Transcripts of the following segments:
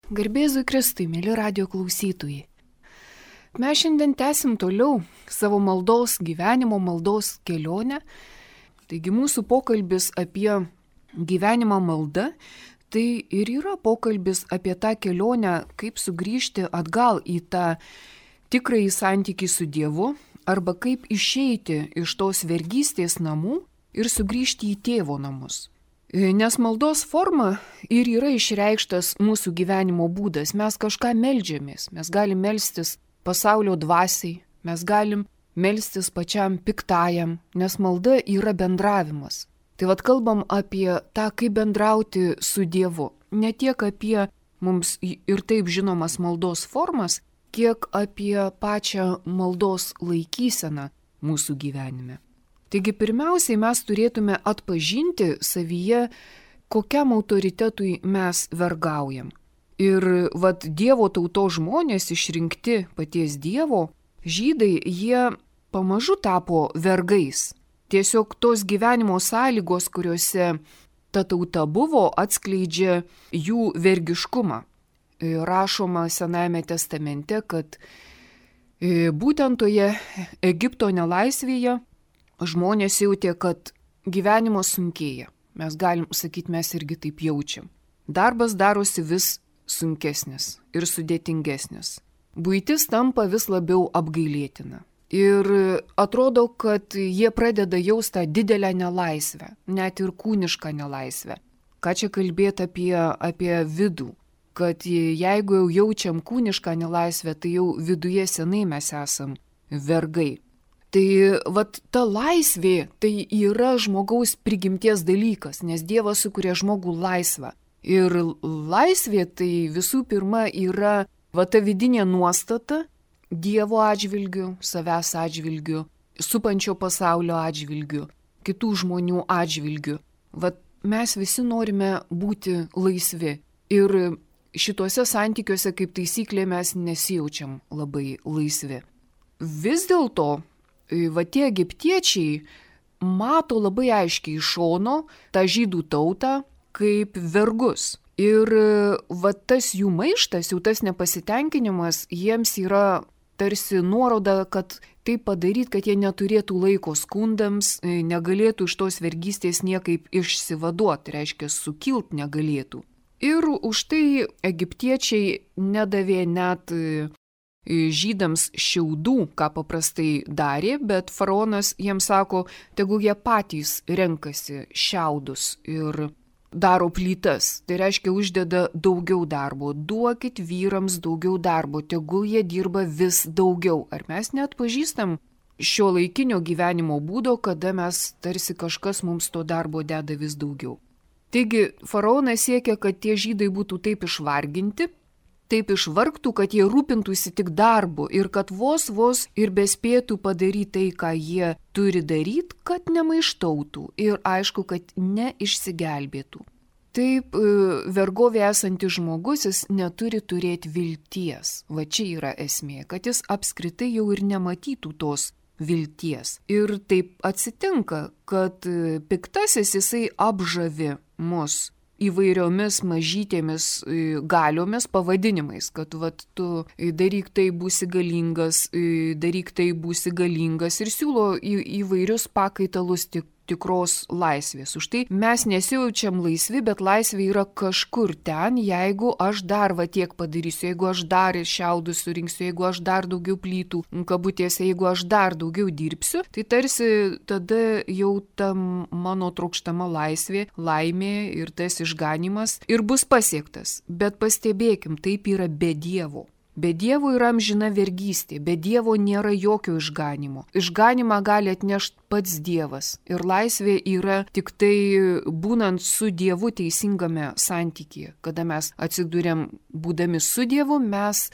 Garbėzui Kristui, mėly radio klausytojai. Mes šiandien tęsim toliau savo maldos gyvenimo, maldos kelionę. Taigi mūsų pokalbis apie gyvenimą malda, tai ir yra pokalbis apie tą kelionę, kaip sugrįžti atgal į tą tikrąjį santykį su Dievu, arba kaip išeiti iš tos vergystės namų ir sugrįžti į tėvo namus. Nes maldos forma ir yra išreikštas mūsų gyvenimo būdas. Mes kažką meldžiamės, mes galim melstis pasaulio dvasiai, mes galim melstis pačiam piktajam, nes malda yra bendravimas. Tai vad kalbam apie tą, kaip bendrauti su Dievu. Ne tiek apie mums ir taip žinomas maldos formas, kiek apie pačią maldos laikyseną mūsų gyvenime. Taigi pirmiausiai mes turėtume atpažinti savyje, kokiam autoritetui mes vergaujam. Ir Dievo tautos žmonės išrinkti paties Dievo, žydai, jie pamažu tapo vergais. Tiesiog tos gyvenimo sąlygos, kuriuose ta tauta buvo, atskleidžia jų vergiškumą. Rašoma Senajame testamente, kad būtent toje Egipto nelaisvėje žmonės jautė, kad gyvenimas sunkėja. Mes galim sakyti, mes irgi taip jaučiam. Darbas darosi vis sunkesnis ir sudėtingesnis. Buitis tampa vis labiau apgailėtina. Ir atrodo, kad jie pradeda jausti didelę nelaisvę, net ir kūnišką nelaisvę. Ką čia kalbėti apie vidų? Kad jeigu jau jaučiam kūnišką nelaisvę, tai jau viduje senai mes esam vergai. Tai ta laisvė tai yra žmogaus prigimties dalykas, nes Dievas sukuria žmogų laisvą. Ir laisvė tai visų pirma yra ta vidinė nuostata Dievo atžvilgiu, savęs atžvilgiu, supančio pasaulio atžvilgiu, kitų žmonių atžvilgiu. Mes visi norime būti laisvi. Ir šituose santykiuose kaip taisyklė mes nesijaučiam labai laisvi. Vis dėlto tie egiptiečiai mato labai aiškiai iš šono tą žydų tautą kaip vergus. Ir tas jų maištas, jau tas nepasitenkinimas, jiems yra tarsi nuoroda, kad tai padaryti, kad jie neturėtų laiko skundams, negalėtų iš tos vergystės niekaip išsivaduoti, reiškia sukilt negalėtų. Ir už tai egiptiečiai nedavė net žydams šiaudų, ką paprastai darė, bet faraonas jiems sako, tegul jie patys renkasi šiaudus ir daro plytas. Tai reiškia, uždeda daugiau darbo. Duokit vyrams daugiau darbo, tegul jie dirba vis daugiau. Ar mes neatpažįstam šio laikinio gyvenimo būdo, kada mes tarsi kažkas mums to darbo deda vis daugiau. Taigi, faraonas siekia, kad tie žydai būtų taip išvarginti, taip išvargtų, kad jie rūpintųsi tik darbu ir kad vos ir bespėtų padaryti tai, ką jie turi daryti, kad nemaištautų ir aišku, kad neišsigelbėtų. Taip, vergovė esantis žmogus, jis neturi turėti vilties. Čia yra esmė, kad jis apskritai jau ir nematytų tos vilties. Ir taip atsitinka, kad piktasis jisai apžavi mus įvairiomis mažytėmis galiomis, pavadinimais, kad tu daryk tai būsi galingas, daryk tai būsi galingas ir siūlo įvairius pakaitalus tikros laisvės. Už tai mes nesijaučiam laisvi, bet laisvė yra kažkur ten, jeigu aš dar tiek padarysiu, jeigu aš dar šiaudus surinksiu, jeigu aš dar daugiau plytų, kabutėse, jeigu aš dar daugiau dirbsiu, tai tarsi tada jau tam mano trokštama laisvė, laimė ir tas išganimas ir bus pasiektas. Bet pastebėkim, taip yra be Dievo. Be Dievo yra amžina vergystė, be Dievo nėra jokio išganimo. Išganimą gali atnešti pats Dievas. Ir laisvė yra tik tai būnant su Dievu teisingame santykyje. Kada mes atsidūrėm būdami su Dievu, mes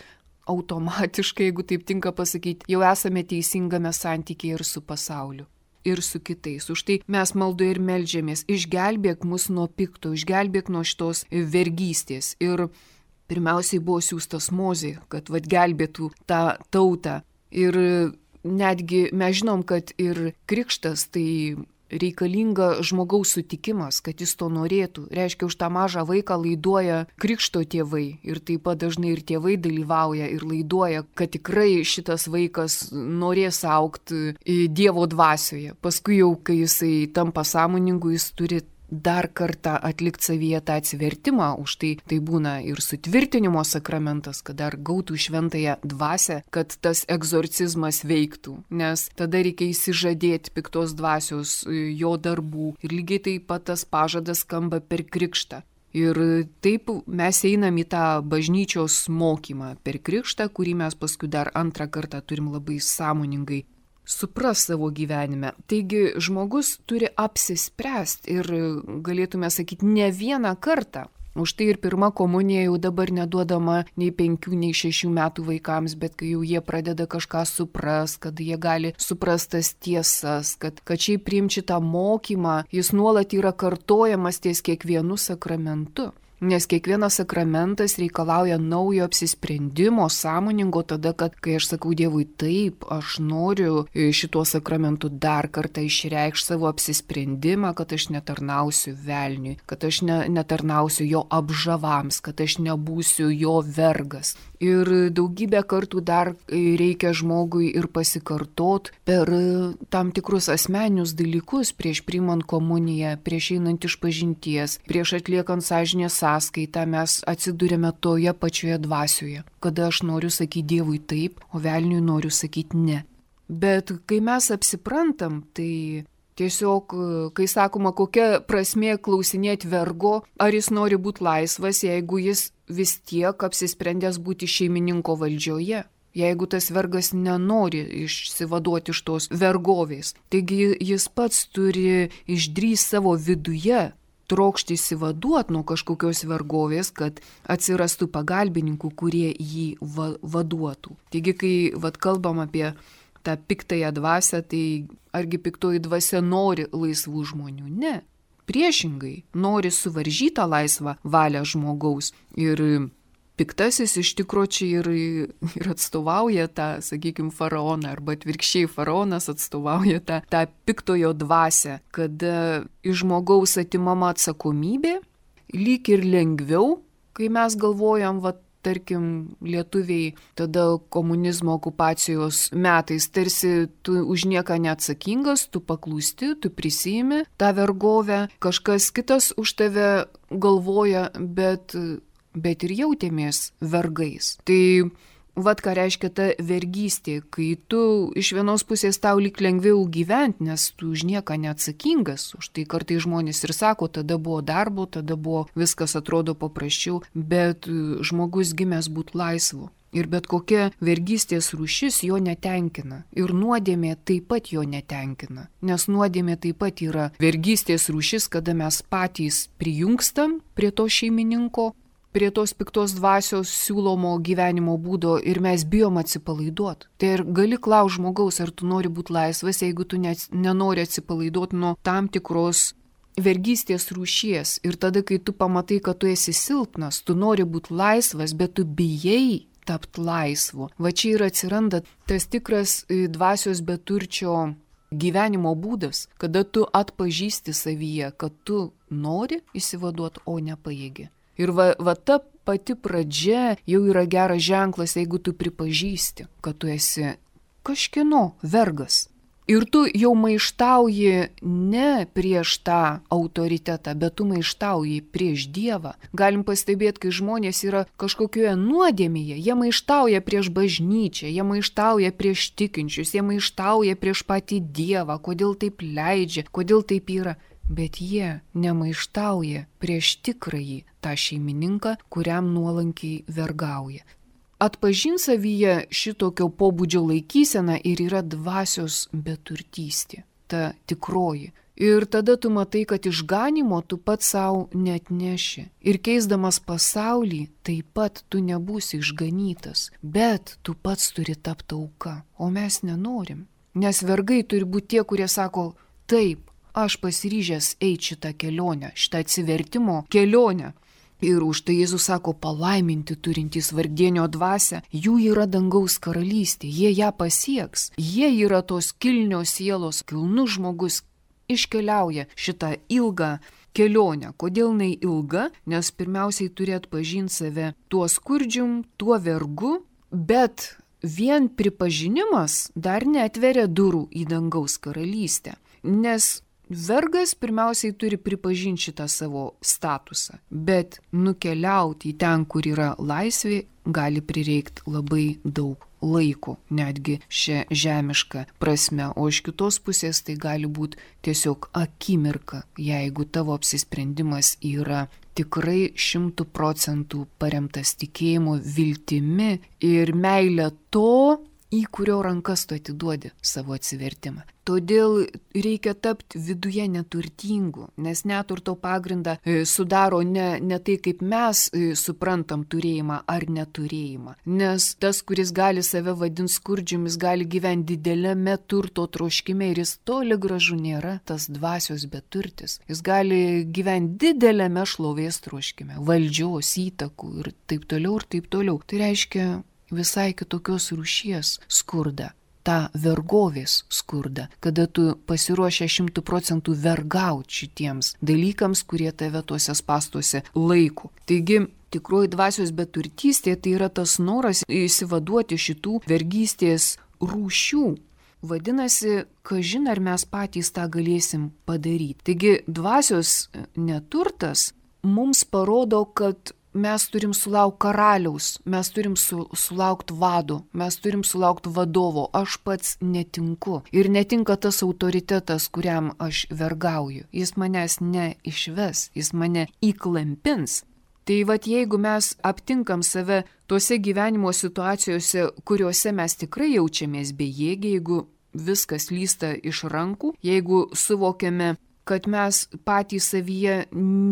automatiškai, jeigu taip tinka pasakyti, jau esame teisingame santykyje ir su pasauliu. Ir su kitais. Už tai mes maldoje ir meldžiamės. Išgelbėk mus nuo pikto, išgelbėk nuo šitos vergystės. Ir pirmiausiai buvo siųstas Mozė, kad gelbėtų tą tautą. Ir netgi mes žinom, kad ir krikštas tai reikalinga žmogaus sutikimas, kad jis to norėtų. Reiškia, už tą mažą vaiką laiduoja krikšto tėvai ir taip pat dažnai ir tėvai dalyvauja ir laiduoja, kad tikrai šitas vaikas norės augti Dievo dvasioje. Paskui jau, kai jisai tampa sąmoningu, jis turi dar kartą atlikti savyje tą atsivertimą, už tai būna ir sutvirtinimo sakramentas, kad dar gautų šventąją dvasią, kad tas egzorcizmas veiktų, nes tada reikia įsižadėti piktos dvasios jo darbų ir lygiai taip pat tas pažadas skamba per krikštą. Ir taip mes einam į tą bažnyčios mokymą per krikštą, kurį mes paskui dar antrą kartą turim labai sąmoningai supras savo gyvenime. Taigi žmogus turi apsispręsti ir galėtume sakyti ne vieną kartą. Už tai ir pirma komunija jau dabar neduodama nei 5, nei 6 metų vaikams, bet kai jau jie pradeda kažką supras, kad jie gali suprastas tiesas, kad šiaip priimti šitą mokymą, jis nuolat yra kartojamas ties kiekvienu sakramentu. Nes kiekvienas sakramentas reikalauja naujo apsisprendimo, sąmoningo tada, kad kai aš sakau Dievui taip, aš noriu šituo sakramentu dar kartą išreikšti savo apsisprendimą, kad aš netarnausiu velniui, kad aš netarnausiu jo apžavams, kad aš nebūsiu jo vergas. Ir daugybę kartų dar reikia žmogui ir pasikartot per tam tikrus asmeninius dalykus prieš priimant komuniją, prieš einant išpažinties, prieš atliekant sąžinės sąskaitą mes atsidūrėme toje pačioje dvasioje, kada aš noriu sakyti Dievui taip, o velniui noriu sakyti ne. Bet kai mes apsiprantam, tai tiesiog, kai sakoma, kokia prasmė klausinėti vergo, ar jis nori būti laisvas, jeigu jis vis tiek apsisprendęs būti šeimininko valdžioje, jeigu tas vergas nenori išsivaduoti iš tos vergovės. Taigi jis pats turi išdrįsti savo viduje trokšti išsivaduoti nuo kažkokios vergovės, kad atsirastų pagalbininkų, kurie jį vaduotų. Taigi, kai kalbam apie tą piktąją dvasią, tai argi piktoji dvasia nori laisvų žmonių? Ne. Priešingai, nori suvaržytą laisvą valią žmogaus. Ir piktasis iš tikro čia ir atstovauja tą, sakykime, faraoną, arba atvirkščiai faraonas atstovauja tą piktojo dvasią, kada iš žmogaus atimama atsakomybė, lyg ir lengviau, kai mes galvojam, tarkim, lietuviai tada komunizmo okupacijos metais, tarsi tu už nieką neatsakingas, tu paklūsti, tu prisiimi tą vergovę, kažkas kitas už tave galvoja, bet ir jautėmės vergais. Tai ką reiškia ta vergystė, kai tu iš vienos pusės tau lyg lengviau gyventi, nes tu už nieką neatsakingas, už tai kartai žmonės ir sako, tada buvo darbo, tada buvo viskas atrodo paprasčiau, bet žmogus gimęs būti laisvu. Ir bet kokia vergystės rūšis jo netenkina. Ir nuodėmė taip pat jo netenkina. Nes nuodėmė taip pat yra vergystės rūšis, kada mes patys prijungstam prie to šeimininko, prie tos piktos dvasios siūlomo gyvenimo būdo ir mes bijom atsipalaiduoti. Tai ir gali klausti žmogaus, ar tu nori būti laisvas, jeigu tu nenori atsipalaiduoti nuo tam tikros vergystės rūšies. Ir tada, kai tu pamatai, kad tu esi silpnas, tu nori būti laisvas, bet tu bijai tapti laisvu. Va čia ir atsiranda tas tikras dvasios beturčio gyvenimo būdas, kada tu atpažįsti savyje, kad tu nori išsivaduoti, o nepajėgi. Ir ta pati pradžia jau yra geras ženklas, jeigu tu pripažįsti, kad tu esi kažkieno vergas. Ir tu jau maištauji ne prieš tą autoritetą, bet tu maištauji prieš Dievą. Galim pastebėti, kai žmonės yra kažkokioje nuodėmėje, jie maištauja prieš bažnyčią, jie maištauja prieš tikinčius, jie maištauja prieš patį Dievą, kodėl taip leidžia, kodėl taip yra. Bet jie nemaištauja prieš tikrąjį tą šeimininką, kuriam nuolankiai vergauja. Atpažint savyje šitokio pobūdžio laikysena ir yra dvasios beturtystė, ta tikroji. Ir tada tu matai, kad išganimo tu pats savo neatneši. Ir keisdamas pasaulį, taip pat tu nebūsi išganytas, bet tu pats turi tapti auka, o mes nenorim. Nes vergai turi būti tie, kurie sako, taip, aš pasiryžęs eiti šitą kelionę, šitą atsivertimo kelionę. Ir už tai Jėzus sako, palaiminti turintys vargdienio dvasią, jų yra dangaus karalystė, jie ją pasieks. Jie yra tos kilnios sielos, kilnus žmogus, iškeliauja šitą ilgą kelionę. Kodėl jinai ilga? Nes pirmiausiai turi atpažinti save tuo skurdžium, tuo vergu, bet vien pripažinimas dar neatveria durų į dangaus karalystę. Nes vergas pirmiausiai turi pripažinti šitą savo statusą, bet nukeliauti į ten, kur yra laisvė, gali prireikti labai daug laiko, netgi šią žemišką prasme, o iš kitos pusės tai gali būti tiesiog akimirka, jeigu tavo apsisprendimas yra tikrai 100% paremtas tikėjimu, viltimi ir meilė to, į kurio rankas tu atiduodi savo atsivertimą. Todėl reikia tapti viduje neturtingu, nes neturto pagrindą sudaro ne tai, kaip mes suprantam turėjimą ar neturėjimą. Nes tas, kuris gali save vadinti skurdžium, jis gali gyventi dideliame turto troškime ir jis toli gražu nėra tas dvasios beturtis. Jis gali gyventi dideliame šlovės troškime, valdžios, įtakų ir taip toliau ir taip toliau. Tai reiškia visai kitokios rūšies skurdą, tą vergovės skurdą, kada tu pasiruošę 100% vergauti šitiems dalykams, kurie tave tuose spąstuose laiko. Taigi, tikroji dvasios beturtystė tai yra tas noras išsivaduoti šitų vergystės rūšių. Vadinasi, kažin ar mes patys tą galėsim padaryti. Taigi, dvasios neturtas mums parodo, kad mes turim sulaukti karaliaus, mes turim sulaukti vado, mes turim sulaukti vadovo, aš pats netinku. Ir netinka tas autoritetas, kuriam aš vergauju. Jis manęs neišves, jis mane įklampins. Tai vat jeigu mes aptinkam save tose gyvenimo situacijose, kuriuose mes tikrai jaučiamės bejėgiai, jeigu viskas lysta iš rankų, jeigu suvokiame, kad mes patys savyje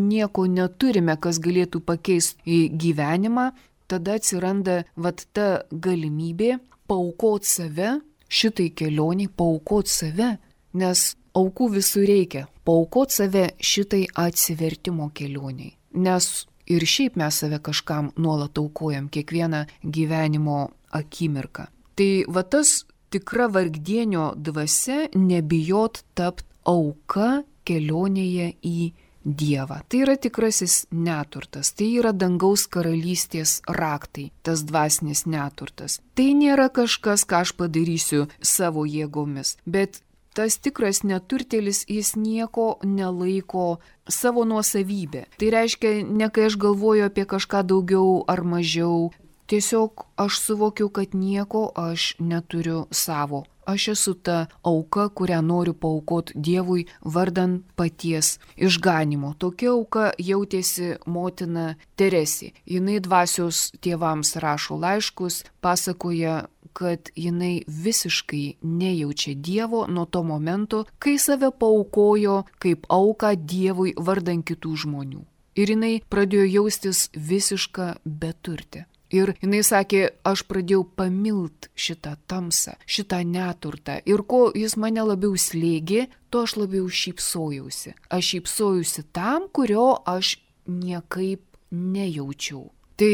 nieko neturime, kas galėtų pakeisti į gyvenimą, tada atsiranda vat ta galimybė paaukoti save, šitai kelioniai paaukoti save, nes aukų visur reikia, paaukoti save šitai atsivertimo kelioniai, nes ir šiaip mes save kažkam nuolat aukojam kiekvieną gyvenimo akimirką. Tai va tas tikra vargdienio dvasia nebijot tapt auka kelionėje į Dievą. Tai yra tikrasis neturtas, tai yra dangaus karalystės raktai, tas dvasinis neturtas. Tai nėra kažkas, ką aš padarysiu savo jėgomis, bet tas tikras neturtėlis, jis nieko nelaiko savo nuosavybę. Tai reiškia, ne kai aš galvoju apie kažką daugiau ar mažiau, tiesiog aš suvokiu, kad nieko aš neturiu savo. Aš esu ta auka, kurią noriu paaukoti Dievui vardan paties išganimo. Tokia auka jautėsi motina Teresė. Jinai dvasios tėvams rašo laiškus, pasakoja, kad jinai visiškai nejaučia Dievo nuo to momento, kai save paaukojo kaip auką Dievui vardan kitų žmonių. Ir jinai pradėjo jaustis visiška beturtė. Ir jinai sakė, aš pradėjau pamilt šitą tamsą, šitą neturtą. Ir ko jis mane labiau slėgė, to aš labiau šypsojausi. Aš šypsojausi tam, kurio aš niekaip nejaučiau. Tai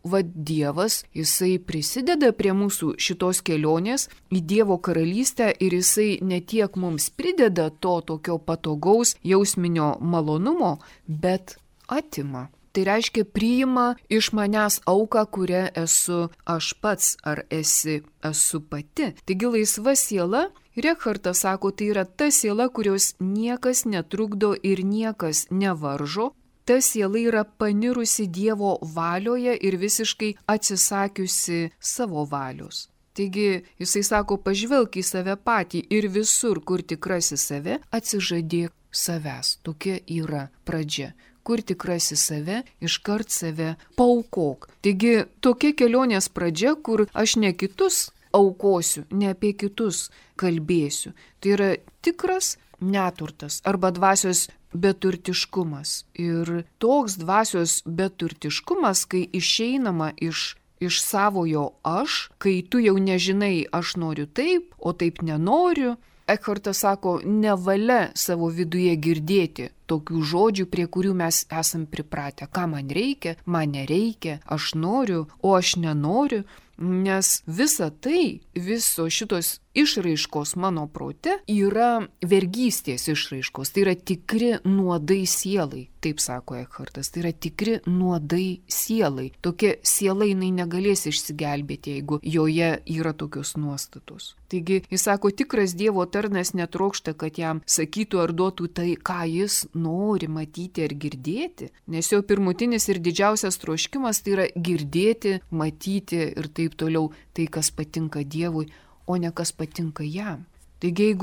vad Dievas, jisai prisideda prie mūsų šitos kelionės į Dievo karalystę ir jisai ne tiek mums prideda to tokio patogaus jausminio malonumo, bet atima. Tai reiškia, priima iš manęs auką, kurią esu aš pats ar esu pati. Taigi laisva siela, Rekhartas sako, tai yra ta siela, kurios niekas netrukdo ir niekas nevaržo. Ta siela yra panirusi Dievo valioje ir visiškai atsisakiusi savo valios. Taigi jisai sako, pažvelk į save patį ir visur, kur tikrasis save, atsižadėk savęs. Tokia yra pradžia. Kur tikrasi save, iškart save paaukok. Taigi tokia kelionės pradžia, kur aš ne kitus aukosiu, ne apie kitus kalbėsiu. Tai yra tikras neturtas arba dvasios beturtiškumas. Ir toks dvasios beturtiškumas, kai išeinama iš savojo aš, kai tu jau nežinai, aš noriu taip, o taip nenoriu. Ekhartas sako, nevalia savo viduje girdėti tokių žodžių, prie kurių mes esam pripratę. Ką man reikia, man nereikia, aš noriu, o aš nenoriu. Nes visa tai, visos šitos išraiškos mano prote yra vergystės išraiškos, tai yra tikri nuodai sielai, taip sako Ekhartas, tai yra tikri nuodai sielai. Tokia siela jinai negalės išsigelbėti, jeigu joje yra tokios nuostatos. Taigi, jis sako, tikras Dievo tarnas netrokšta, kad jam sakytų ar duotų tai, ką jis nori matyti ar girdėti, nes jo pirmutinis ir didžiausias troškimas tai yra girdėti, matyti ir taip toliau tai, kas patinka Dievui, o ne kas patinka jam. Taigi,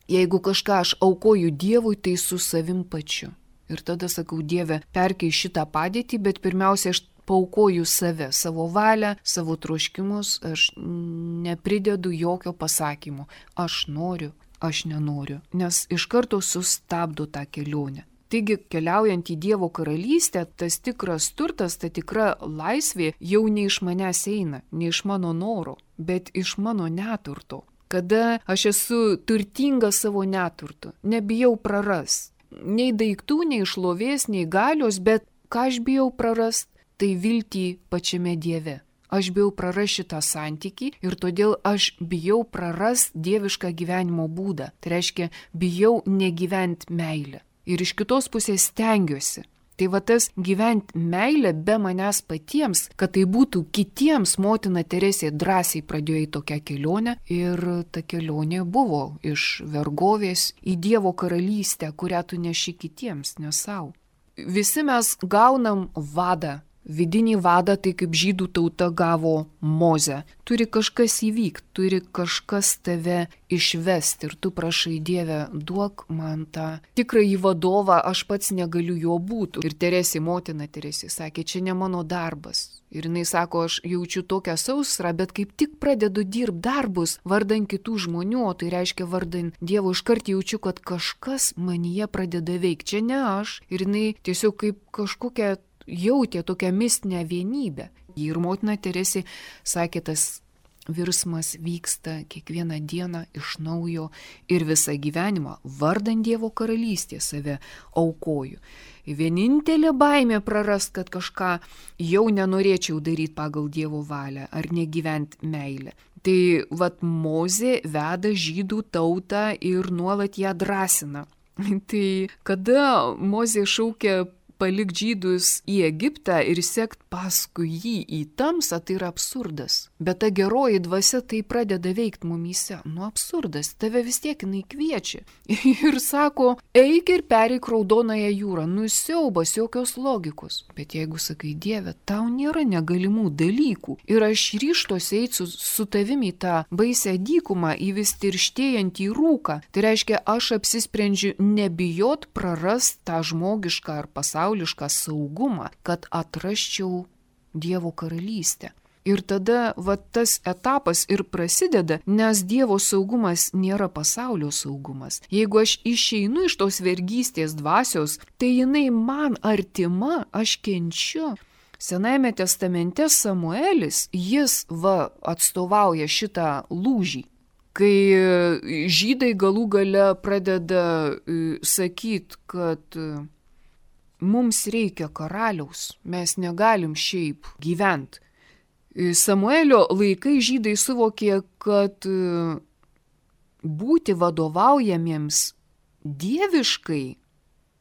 jeigu kažką aš aukoju Dievui, tai su savim pačiu. Ir tada sakau, Dieve, perkei šitą padėtį, bet pirmiausia, aš paaukoju save, savo valią, savo troškimus, aš nepridedu jokio pasakymo. Aš noriu, aš nenoriu, nes iš karto sustabdo tą kelionę. Taigi, keliaujant į Dievo karalystę, tas tikras turtas, ta tikra laisvė jau ne iš manęs eina, ne iš mano noro, bet iš mano neturto. Kada aš esu turtinga savo neturtu, nebijau prarast. Nei daiktų, nei šlovės, nei galios, bet ką aš bijau prarast, tai viltį pačiame Dieve. Aš bijau prarast šitą santykį ir todėl aš bijau prarast dievišką gyvenimo būdą. Tai reiškia, bijau negyvent meilę. Ir iš kitos pusės stengiuosi. Tai va tas gyvent meilę be manęs patiems, kad tai būtų kitiems, motina Teresė drąsiai pradėjo į tokią kelionę ir ta kelionė buvo iš vergovės į Dievo karalystę, kurią tu neši kitiems, ne savo. Visi mes gaunam vadą. Vidinį vadą, tai kaip žydų tauta gavo Mozę. Turi kažkas įvykti, turi kažkas tave išvesti ir tu prašai, Dieve, duok man tą tikrąjį vadovą, aš pats negaliu jo būti. Ir Teresė, motina Teresė, sakė, čia ne mano darbas. Ir jinai sako, aš jaučiu tokią sausrą, bet kaip tik pradedu dirbti darbus vardan kitų žmonių, o tai reiškia vardan Dievo, iškart jaučiu, kad kažkas manyje pradeda veikti. Čia ne aš. Ir jinai tiesiog kaip kažkokia jautė tokią mistinę vienybę. Ir motina Teresė sakė, tas virsmas vyksta kiekvieną dieną iš naujo ir visą gyvenimą vardan Dievo karalystės save aukoju. Vienintelė baimė prarast, kad kažką jau nenorėčiau daryti pagal Dievo valią ar negyvent meilę. Tai vat Mozė veda žydų tautą ir nuolat ją drąsina. Tai kada Mozė šaukia palik žydus į Egiptą ir sekt paskui jį į tamsą, tai yra absurdas. Bet ta geroji dvasia tai pradeda veikti mumyse. Nu absurdas, tave vis tiek jinai kviečia. Ir sako, eik ir pereik Raudonąją jūrą. Nu siaubas, jokios logikos. Bet jeigu sakai, Dieve, tau nėra negalimų dalykų ir aš ryžtuosi eiti su tavimi į tą baisę dykumą, į vis tirštėjantį rūką, tai reiškia, aš apsisprendžiu nebijot prarast tą žmogišką ar pasaulišką saugumą, kad atrasčiau Dievo karalystę. Ir tada tas etapas ir prasideda, nes Dievo saugumas nėra pasaulio saugumas. Jeigu aš išeinu iš tos vergystės dvasios, tai jinai man artima, aš kenčiu. Senajame testamente Samuelis, jis atstovauja šitą lūžį. Kai žydai galų gale pradeda sakyti, kad mums reikia karaliaus, mes negalim šiaip gyventi. Samuelio laikai žydai suvokė, kad būti vadovaujamiems dieviškai,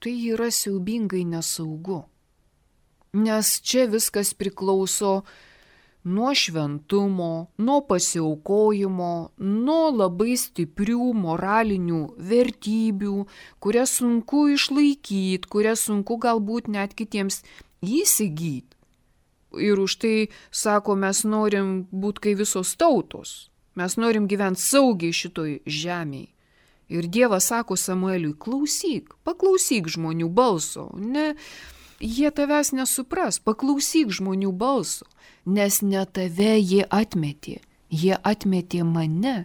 tai yra siaubingai nesaugu. Nes čia viskas priklauso nuo šventumo, nuo pasiaukojimo, nuo labai stiprių moralinių vertybių, kurias sunku išlaikyti, kurias sunku galbūt net kitiems įsigyti. Ir už tai, sako, mes norim būti kaip visos tautos. Mes norim gyventi saugiai šitoj žemėje. Ir Dievas sako Samueliui, paklausyk žmonių balso. Ne, jie tavęs nesupras, paklausyk žmonių balso. Nes ne tave jie atmetė mane,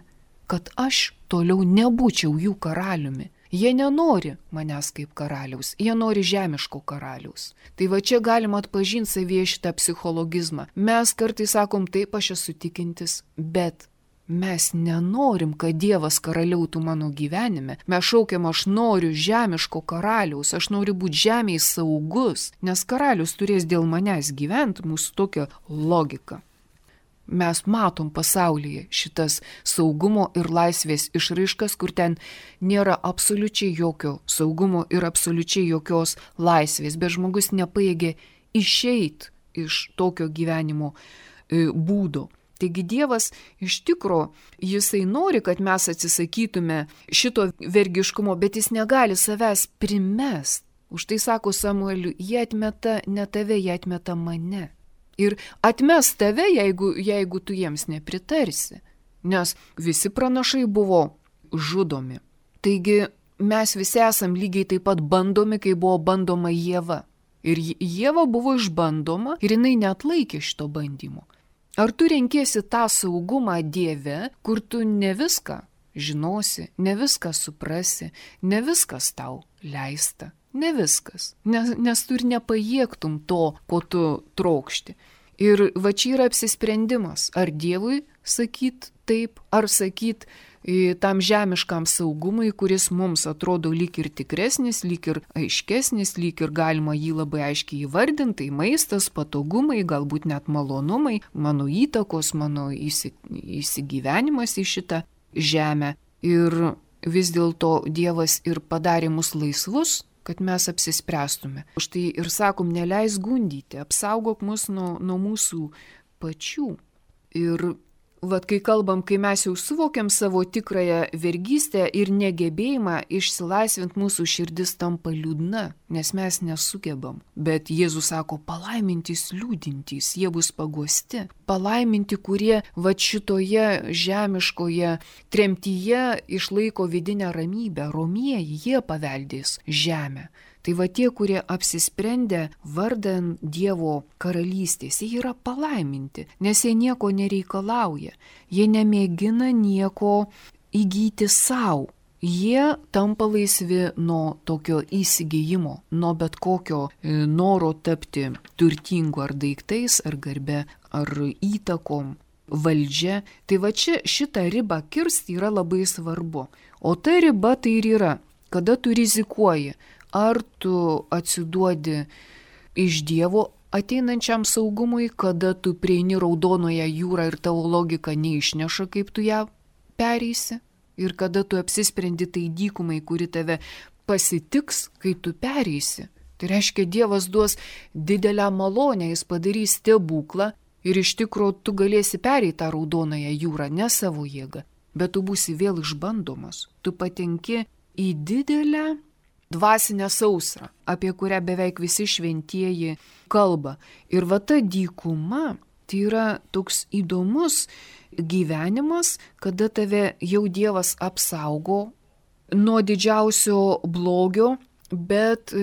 kad aš toliau nebūčiau jų karaliumi. Jie nenori manęs kaip karaliaus, jie nori žemiško karaliaus. Tai va čia galima atpažinti savyje šitą psichologizmą. Mes kartais sakom, taip, aš esu tikintis, bet Mes nenorim, kad Dievas karaliautų mano gyvenime. Mes šaukiam, aš noriu žemiško karaliaus, aš noriu būti žemėje saugus, nes karalius turės dėl manęs gyventi, mūsų tokia logika. Mes matom pasaulyje šitas saugumo ir laisvės išraiškas, kur ten nėra absoliučiai jokio saugumo ir absoliučiai jokios laisvės, bet žmogus nepajėgia išeiti iš tokio gyvenimo būdo. Taigi Dievas iš tikro, jisai nori, kad mes atsisakytume šito vergiškumo, bet jis negali savęs primest. Už tai sako Samueliui, jie atmeta ne tave, jie atmeta mane. Ir atmes tave, jeigu tu jiems nepritarsi, nes visi pranašai buvo žudomi. Taigi mes visi esam lygiai taip pat bandomi, kai buvo bandoma Ieva. Ir Ieva buvo išbandoma ir jinai neatlaikė šito bandymo. Ar tu renkiesi tą saugumą Dieve, kur tu ne viską žinosi, ne viską suprasi, ne viskas tau leista, ne viskas, nes tu ir nepajėgtum to, ko tu trokšti. Ir va čia yra apsisprendimas, ar Dievui sakyt taip, ar sakyt tam žemiškam saugumui, kuris mums atrodo lyg ir tikresnis, lyg ir aiškesnis, lyg ir galima jį labai aiškiai įvardinti, tai maistas, patogumai, galbūt net malonumai, mano įtakos, mano įsigyvenimas į šitą žemę. Ir vis dėlto Dievas ir padarė mus laisvus, kad mes apsispręstume. Štai ir sakom, neleis gundyti, apsaugok mus nuo mūsų pačių. Ir vat kai kalbam, kai mes jau suvokiam savo tikrąją vergystę ir negebėjimą išsilaisvinti, mūsų širdis tampa liūdna, nes mes nesugebam. Bet Jėzus sako, palaimintys liūdintys, jie bus paguosti. Palaiminti, kurie vat šitoje žemiškoje tremtyje išlaiko vidinę ramybę, romieji, jie paveldės žemę. Tai va tie, kurie apsisprendė vardan Dievo karalystės, jie yra palaiminti, nes jie nieko nereikalauja, jie nemėgina nieko įgyti savo. Jie tampa laisvi nuo tokio įsigijimo, nuo bet kokio noro tapti turtingu ar daiktais, ar garbe, ar įtakom, valdžia. Tai va čia šitą ribą kirsti yra labai svarbu. O ta riba tai ir yra, kada tu rizikuoji. Ar tu atsiduodi iš Dievo ateinančiam saugumui, kada tu prieini raudonoje jūrą ir tavo logika neišneša, kaip tu ją pereisi, ir kada tu apsisprendi tai dykumai, kuri tave pasitiks, kai tu pereisi. Tai reiškia, Dievas duos didelę malonę, jis padarys stebuklą ir iš tikro tu galėsi pereiti tą raudonąją jūrą, ne savo jėgą, bet tu būsi vėl išbandomas. Tu patenki į didelę dvasinę sausrą, apie kurią beveik visi šventieji kalba. Ir va ta dykuma, tai yra toks įdomus gyvenimas, kada tave jau Dievas apsaugo nuo didžiausio blogio, bet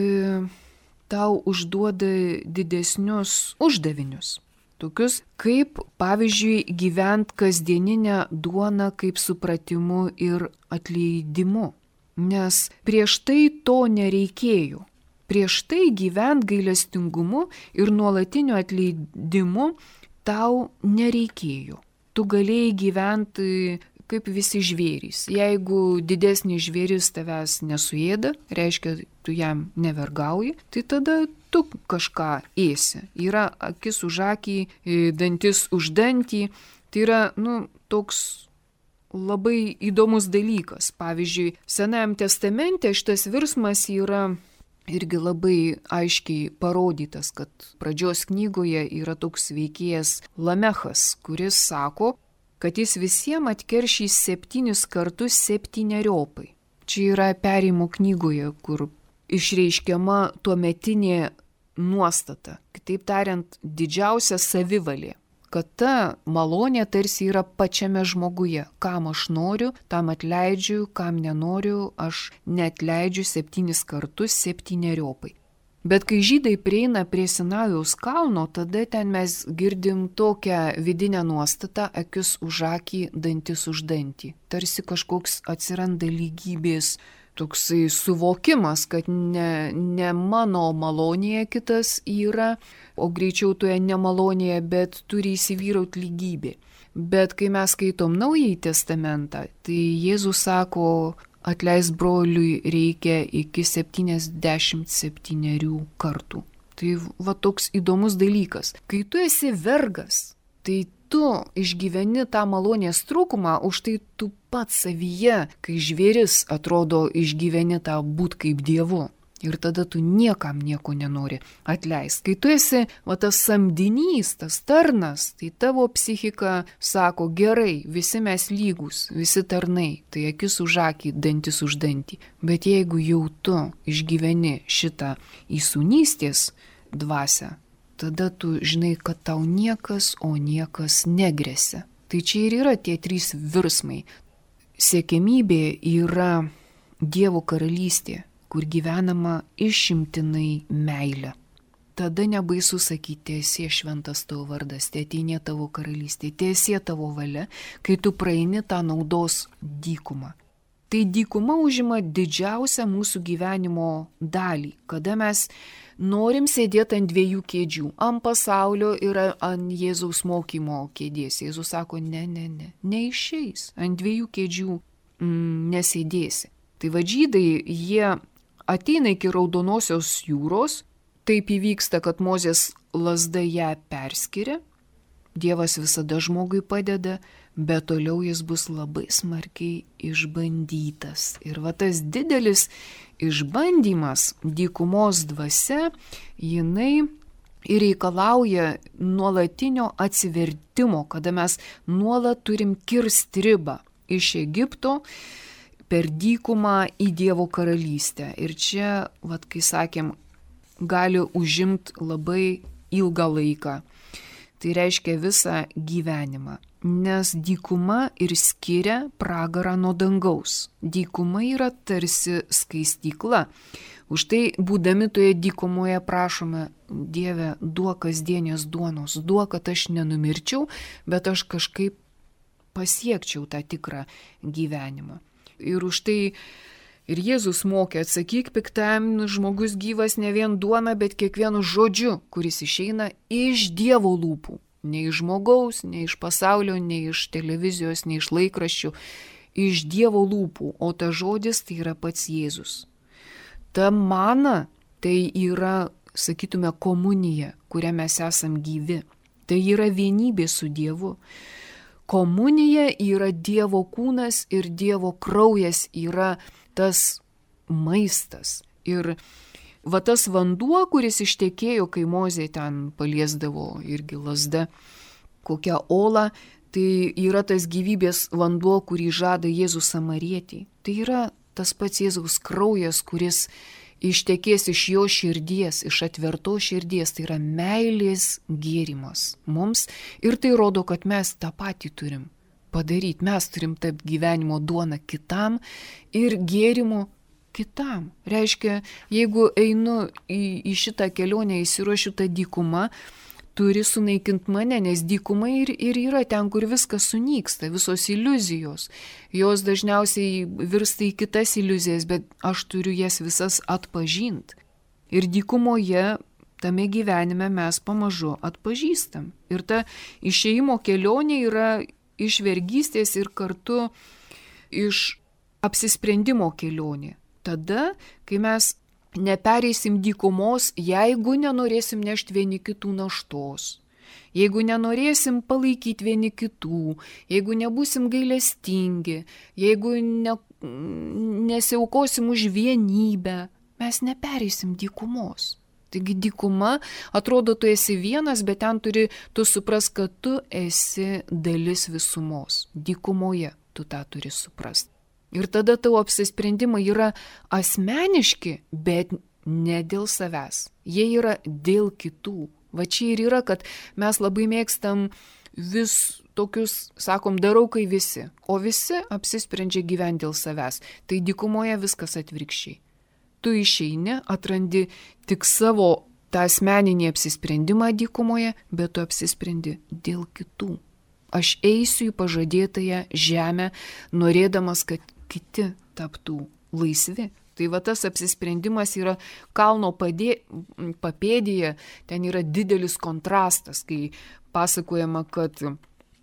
tau užduoda didesnius uždavinius. Tokius kaip, pavyzdžiui, gyvent kasdieninę duoną kaip supratimu ir atleidimu. Nes prieš tai to nereikėjo. Prieš tai gyvent gailestingumu ir nuolatiniu atleidimu tau nereikėjo. Tu galėjai gyventi kaip visi žvėrys. Jeigu didesnis žvėris tavęs nesuėda, reiškia, tu jam nevergauji, tai tada tu kažką ėsi. Yra akis už akį, dantis už dantį. Tai yra, toks labai įdomus dalykas. Pavyzdžiui, Senajam testamente šitas virsmas yra irgi labai aiškiai parodytas, kad pradžios knygoje yra toks veikėjas Lamechas, kuris sako, kad jis visiems atkeršys 7 kartus 7. Čia yra Perėjimo knygoje, kur išreiškiama tuometinė nuostata. Kitaip tariant, didžiausia savivalė. Kad ta malonė tarsi yra pačiame žmoguje. Kam aš noriu, tam atleidžiu, kam nenoriu, aš neatleidžiu 7 kartus 7. Bet kai žydai prieina prie Sinajaus kalno, tada ten mes girdim tokią vidinę nuostatą, akis už akį, dantis už dantį. Tarsi kažkoks atsiranda lygybės toksai suvokimas, kad ne mano malonėje kitas yra, o greičiau toje nemalonėje, bet turi įsivyrauti lygybė. Bet kai mes skaitom Naująjį testamentą, tai Jėzus sako, atleist broliui reikia iki 77 kartų. Tai va toks įdomus dalykas. Kai tu esi vergas, tai tu išgyveni tą malonės trūkumą, už tai tu pats savyje, kai žvėris atrodo išgyveni tą būt kaip Dievu. Ir tada tu niekam nieko nenori atleisti. Kai tu esi tas samdinys, tas tarnas, tai tavo psichika sako, gerai, visi mes lygus, visi tarnai, tai akis už akį, dantis už dantį. Bet jeigu jau tu išgyveni šitą įsūnystės dvasią, tada tu žinai, kad tau niekas, o niekas negresia. Tai čia ir yra tie 3 virsmai. Siekiamybė yra Dievo karalystė, kur gyvenama išimtinai meilė. Tada nebaisu sakyti, tiesie šventas tavo vardas, tėteinė tavo karalystė, tiesie tavo valia, kai tu praeini tą naudos dykumą. Tai dykuma užima didžiausią mūsų gyvenimo dalį, kada mes norim sėdėti ant 2 kėdžių, ant pasaulio ir ant Jėzaus mokymo kėdės. Jėzus sako, neišeis, ant 2 kėdžių nesėdėsi. Tai žydai, jie ateina iki Raudonosios jūros, taip įvyksta, kad Mozės lazda ją perskiria, Dievas visada žmogui padeda, bet toliau jis bus labai smarkiai išbandytas. Ir tas didelis išbandymas, dykumos dvasia, jinai ir reikalauja nuolatinio atsivertimo, kada mes nuolat turim kirsti ribą iš Egipto per dykumą į Dievo karalystę. Ir čia, kai sakėm, gali užimti labai ilgą laiką. Tai reiškia visą gyvenimą. Nes dykuma ir skiria pragarą nuo dangaus. Dykuma yra tarsi skaistykla. Už tai, būdami toje dykumoje, prašome, Dieve, duok kasdienės duonos, duok, kad aš nenumirčiau, bet aš kažkaip pasiekčiau tą tikrą gyvenimą. Ir už tai ir Jėzus mokė, atsakyk piktam, žmogus gyvas ne vien duona, bet kiekvienu žodžiu, kuris išeina iš Dievo lūpų. Ne iš žmogaus, ne iš pasaulio, ne iš televizijos, ne iš laikraščių, iš Dievo lūpų. O ta žodis tai yra pats Jėzus. Ta mana tai yra, sakytume, komunija, kuria mes esam gyvi. Tai yra vienybė su Dievu. Komunija yra Dievo kūnas ir Dievo kraujas yra tas maistas. Ir tas vanduo, kuris ištekėjo, kai Mozė ten paliesdavo irgi lazda kokią olą, tai yra tas gyvybės vanduo, kurį žada Jėzus Samarietei. Tai yra tas pats Jėzaus kraujas, kuris ištekės iš jo širdies, iš atvertos širdies, tai yra meilės gėrimas mums. Ir tai rodo, kad mes tą patį turim padaryti. Mes turim tapti gyvenimo duona kitam ir gėrimo kitam. Reiškia, jeigu einu į šitą kelionę, įsiruošiu tą dykumą, turi sunaikinti mane, nes dykuma ir yra ten, kur viskas sunyksta, visos iliuzijos. Jos dažniausiai virsta į kitas iliuzijas, bet aš turiu jas visas atpažinti. Ir dykumoje, tame gyvenime mes pamažu atpažįstam. Ir ta išėjimo kelionė yra iš vergystės ir kartu iš apsisprendimo kelionė. Tada, kai mes nepereisim dykumos, jeigu nenorėsim nešti vieni kitų naštos, jeigu nenorėsim palaikyti vieni kitų, jeigu nebūsim gailestingi, jeigu nesiaukosim už vienybę, mes nepereisim dykumos. Taigi dykuma, atrodo, tu esi vienas, bet ten tu supras, kad tu esi dalis visumos. Dykumoje tu tą turi suprast. Ir tada tavo apsisprendimai yra asmeniški, bet ne dėl savęs. Jie yra dėl kitų. Va čia ir yra, kad mes labai mėgstam vis tokius, sakom, darau kai visi. O visi apsisprendžia gyventi dėl savęs. Tai dykumoje viskas atvirkščiai. Tu išeini, atrandi tik savo tą asmeninį apsisprendimą dykumoje, bet tu apsisprendi dėl kitų. Aš eisiu į pažadėtąją žemę, norėdamas, kad kiti taptų laisvi. Tai va tas apsisprendimas yra kalno papėdėje, ten yra didelis kontrastas, kai pasakojama, kad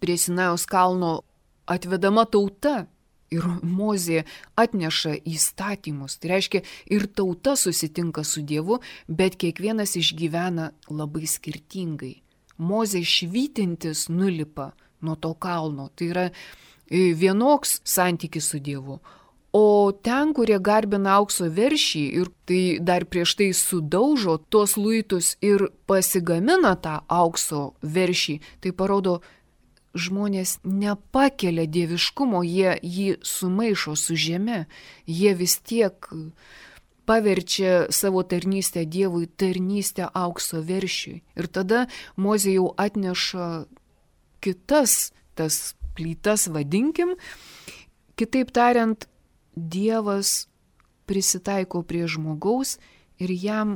prie Sinajaus kalno atvedama tauta ir Mozė atneša įstatymus. Tai reiškia, ir tauta susitinka su Dievu, bet kiekvienas išgyvena labai skirtingai. Mozė švytintis nulipa nuo to kalno. Tai yra vienoks santykis su Dievu. O ten, kurie garbina aukso veršį ir tai dar prieš tai sudaužo tuos luitus ir pasigamina tą aukso veršį, tai parodo, žmonės nepakelia dieviškumo, jie jį sumaišo su žeme, jie vis tiek paverčia savo tarnystę Dievui tarnystę aukso veršiui. Ir tada Mozė jau atneša kitas tas plytas, vadinkim, kitaip tariant, Dievas prisitaiko prie žmogaus ir jam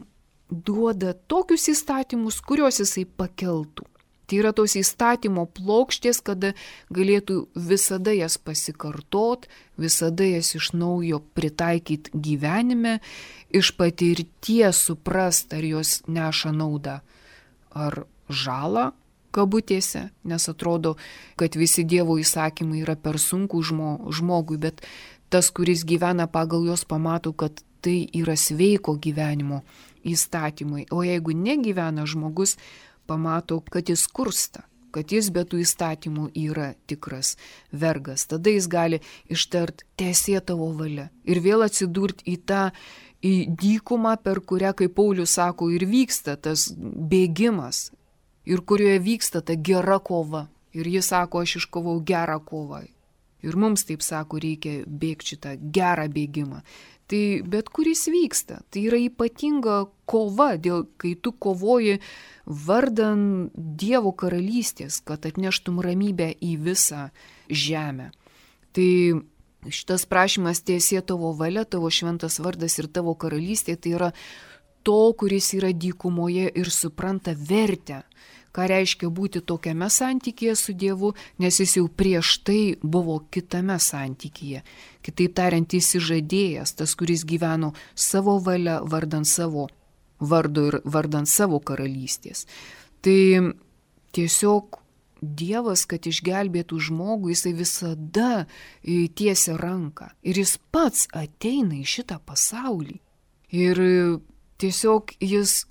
duoda tokius įstatymus, kuriuos jisai pakeltų. Tai yra tos įstatymo plokštės, kada galėtų visada jas pasikartot, visada jas iš naujo pritaikyti gyvenime, iš patirties suprast, ar jos neša naudą, ar žalą, kabutėse, nes atrodo, kad visi Dievo įsakymai yra per sunku žmogui, bet tas, kuris gyvena pagal juos, pamato, kad tai yra sveiko gyvenimo įstatymai. O jeigu negyvena žmogus, pamato, kad jis skursta, kad jis be tų įstatymų yra tikras vergas. Tada jis gali ištart teesie tavo valia ir vėl atsidurti į dykumą, per kurią, kaip Paulius sako, ir vyksta tas bėgimas ir kurioje vyksta ta gera kova. Ir jis sako, aš iškovau gerą kovą. Ir mums, taip sako, reikia bėgti šitą gerą bėgimą. Tai bet kuris vyksta, tai yra ypatinga kova, kai tu kovoji vardan Dievo karalystės, kad atneštum ramybę į visą žemę. Tai šitas prašymas teesie tavo valia, tavo šventas vardas ir tavo karalystė, tai yra to, kuris yra dykumoje ir supranta vertę. Ką reiškia būti tokiame santykyje su Dievu, nes jis jau prieš tai buvo kitame santykyje. Kitaip tariant, įsižadėjęs, tas, kuris gyveno savo valia, vardan savo vardo ir vardan savo karalystės. Tai tiesiog Dievas, kad išgelbėtų žmogų, jisai visada tiesia ranką. Ir jis pats ateina į šitą pasaulį. Ir tiesiog jis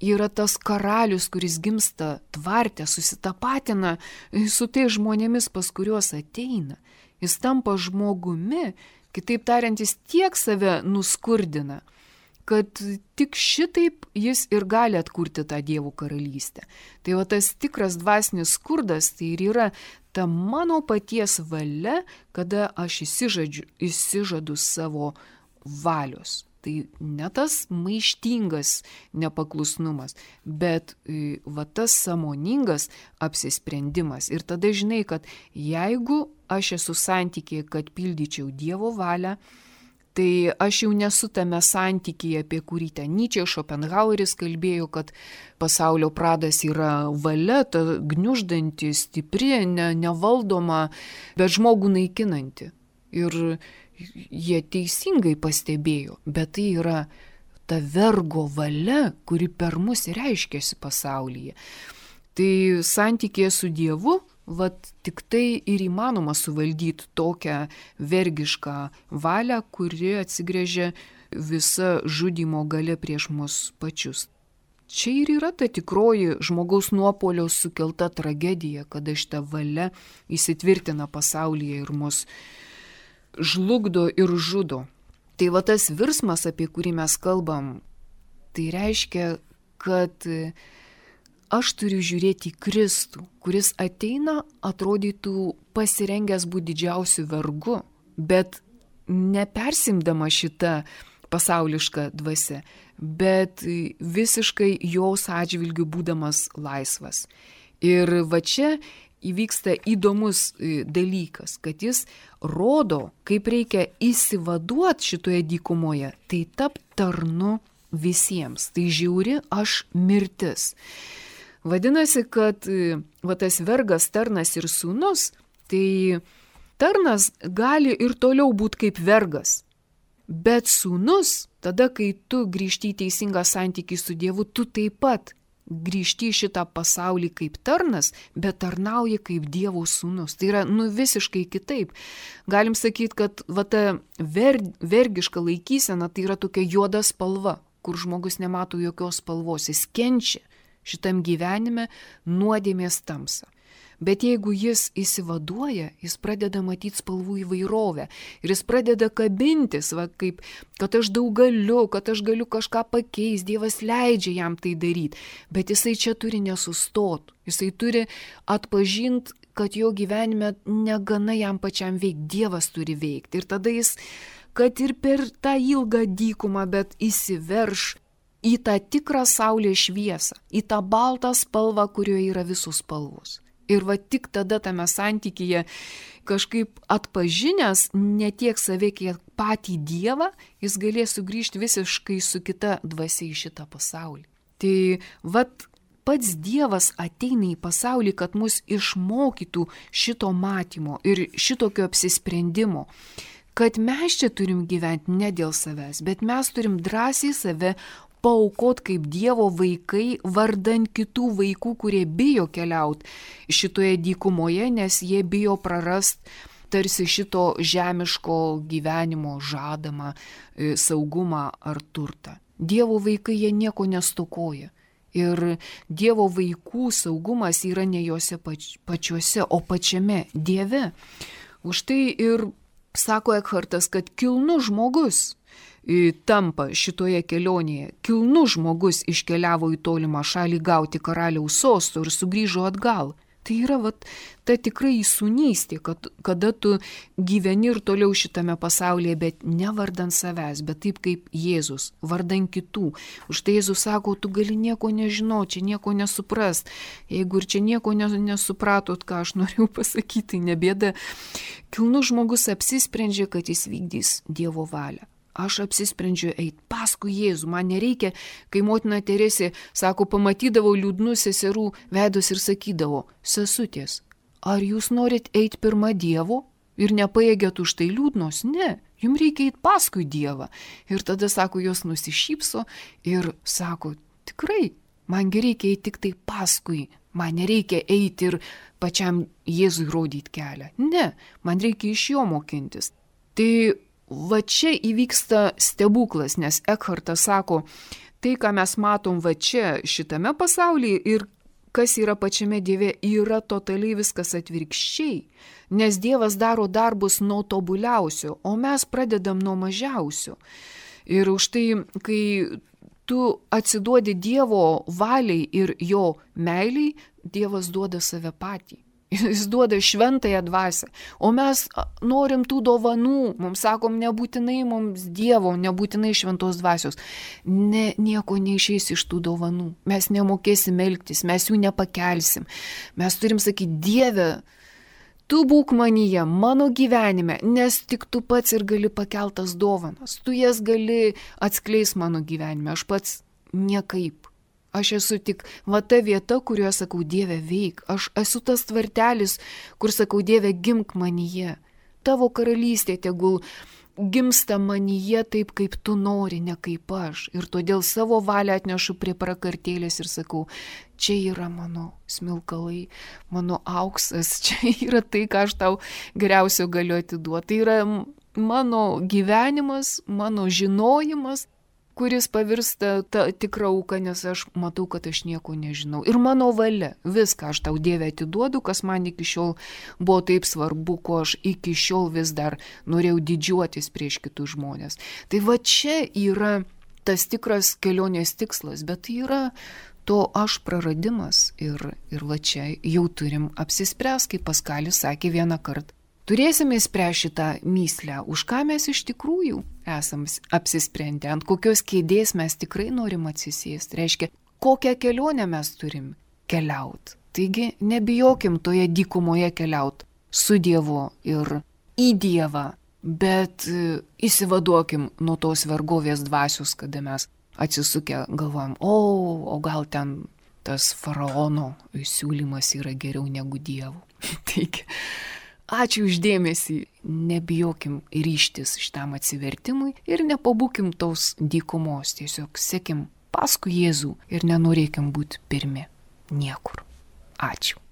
yra tas karalius, kuris gimsta tvarte, susitapatina su tai žmonėmis, pas kuriuos ateina. Jis tampa žmogumi, kitaip tariant, jis tiek save nuskurdina, kad tik šitaip jis ir gali atkurti tą Dievo karalystę. Tai va tas tikras dvasinis skurdas, tai ir yra ta mano paties valia, kada aš įsižadu savo valios. Tai ne tas maištingas nepaklusnumas, bet va tas sąmoningas apsisprendimas. Ir tada žinai, kad jeigu aš esu santykyje, kad pildyčiau Dievo valią, tai aš jau nesu tame santykyje, apie kurį ten Nyčė, Šopenhaueris kalbėjo, kad pasaulio pradas yra valia, ta gniuždanti, stipri, nevaldoma, bet žmogų naikinanti. Ir jie teisingai pastebėjo, bet tai yra ta vergo valia, kuri per mus reiškiasi pasaulyje. Tai santykėje su Dievu, tik tai ir įmanoma suvaldyti tokią vergišką valią, kuri atsigręžia visa žudymo galia prieš mus pačius. Čia ir yra ta tikroji žmogaus nuopuolio sukelta tragedija, kada šita valia įsitvirtina pasaulyje ir mus žlugdo ir žudo. Tai va tas virsmas, apie kurį mes kalbam, tai reiškia, kad aš turiu žiūrėti į Kristų, kuris ateina, atrodytų pasirengęs būti didžiausiu vergu, bet nepersimdama šitą pasaulišką dvasią, bet visiškai jos atžvilgiu būdamas laisvas. Ir va čia įvyksta įdomus dalykas, kad jis rodo, kaip reikia įsivaduoti šitoje dykumoje, tai tap tarnu visiems. Tai žiauri aš mirtis. Vadinasi, kad va tas vergas, tarnas ir sūnus, tai tarnas gali ir toliau būti kaip vergas. Bet sūnus, tada, kai tu grįžti į teisingą santykį su Dievu, tu taip pat grįžti į šitą pasaulį kaip tarnas, bet tarnauji kaip Dievo sūnus. Tai yra visiškai kitaip. Galim sakyti, kad ta vergiška laikysena tai yra tokia juoda spalva, kur žmogus nemato jokios spalvos, jis kenčia šitam gyvenime nuodėmės tamsą. Bet jeigu jis įsivaduoja, jis pradeda matyti spalvų įvairovę ir jis pradeda kabintis, kaip, kad aš daug galiu, kad aš galiu kažką pakeisti, Dievas leidžia jam tai daryti, bet jisai čia turi nesustoti, jisai turi atpažinti, kad jo gyvenime negana jam pačiam veikti, Dievas turi veikti ir tada jis, kad ir per tą ilgą dykumą, bet įsiverš į tą tikrą saulės šviesą, į tą baltą spalvą, kurioje yra visos spalvos. Ir tik tada tame santykyje kažkaip atpažinęs ne tiek save, kiek patį Dievą, jis galės sugrįžti visiškai su kita dvasia į šitą pasaulį. Tai pats Dievas ateina į pasaulį, kad mus išmokytų šito matymo ir šitokio apsisprendimo, kad mes čia turim gyventi ne dėl savęs, bet mes turim drąsiai save paaukot kaip Dievo vaikai vardan kitų vaikų, kurie bijo keliauti šitoje dykumoje, nes jie bijo prarast tarsi šito žemiško gyvenimo žadamą saugumą ar turtą. Dievo vaikai jie nieko nestokoja. Ir Dievo vaikų saugumas yra ne juose pačiuose, o pačiame Dieve. Už tai ir sako Ekhartas, kad kilnus žmogus tampa šitoje kelionėje. Kilnus žmogus iškeliavo į tolimą šalį gauti karaliaus sosto ir sugrįžo atgal. Tai yra ta tikrai įsūnystė, kada tu gyveni ir toliau šitame pasaulyje, bet ne vardan savęs, bet taip kaip Jėzus, vardan kitų. Už tai Jėzus sako, tu gali nieko nežinoti, čia nieko nesuprast. Jeigu ir čia nieko nesupratot, ką aš norėjau pasakyti, nebėda. Kilnus žmogus apsisprendžia, kad jis vykdys Dievo valią. Aš apsisprendžiu eiti paskui Jėzų. Man nereikia, kai motina Teresė, sako, pamatydavau liūdnus seserų veidus ir sakydavo, sesutės, ar jūs norit eiti pirma Dievo ir nepajėgėt už tai liūdnos? Ne, jums reikia eiti paskui Dievą. Ir tada, sako, jos nusišypso ir sako, tikrai, mangi reikia eiti tik tai paskui. Man nereikia eiti ir pačiam Jėzui rodyti kelią. Ne, man reikia iš jo mokintis. Tai čia įvyksta stebuklas, nes Ekhartas sako, tai, ką mes matom čia šitame pasaulyje ir kas yra pačiame Dieve, yra totaliai viskas atvirkščiai, nes Dievas daro darbus nuo tobuliausio, o mes pradedam nuo mažiausio. Ir už tai, kai tu atsiduodi Dievo valiai ir jo meiliai, Dievas duoda save patį. Jis duoda šventąją dvasią, o mes norim tų dovanų, mums sakom, nebūtinai mums Dievo, nebūtinai šventos dvasios. Nieko neišeis iš tų dovanų, mes nemokėsim elgtis, mes jų nepakelsim. Mes turim sakyti, Dieve, tu būk manyje, mano gyvenime, nes tik tu pats ir gali pakeltas dovanas, tu jas gali atskleis mano gyvenime, aš pats niekaip. Aš esu tik ta vieta, kurioje sakau, Dieve, veik. Aš esu tas tvartelis, kur sakau, Dieve, gimk manyje. Tavo karalystė tegul gimsta manyje taip, kaip tu nori, ne kaip aš. Ir todėl savo valią atnešu prie prakartėlės ir sakau, čia yra mano smilkalai, mano auksas, čia yra tai, ką aš tau geriausio galiu atiduoti. Tai yra mano gyvenimas, mano žinojimas, kuris pavirsta tą tikrą auką, nes aš matau, kad aš nieko nežinau. Ir mano valia, viską aš tau, Dieve, atiduodu, kas man iki šiol buvo taip svarbu, ko aš iki šiol vis dar norėjau didžiuotis prieš kitus žmonės. Tai čia yra tas tikras kelionės tikslas, bet tai yra to aš praradimas. Ir čia jau turim apsispręs, kaip Paskalis sakė vieną kartą. Turėsime spręsti šitą mįslę, už ką mes iš tikrųjų esam apsisprendę, ant kokios kėdės mes tikrai norim atsisėsti. Reiškia, kokią kelionę mes turim keliauti. Taigi, nebijokim toje dykumoje keliauti su Dievu ir į Dievą, bet įsivaduokim nuo tos vergovės dvasios, kada mes atsisukę galvojam, o gal ten tas faraono siūlymas yra geriau negu Dievo. Taigi, Ačiū uždėmesį, nebijokim ryžtis šitam atsivertimui ir nepabūkim tos dykumos, tiesiog sekim paskui Jėzų ir nenorėkim būti pirmi niekur. Ačiū.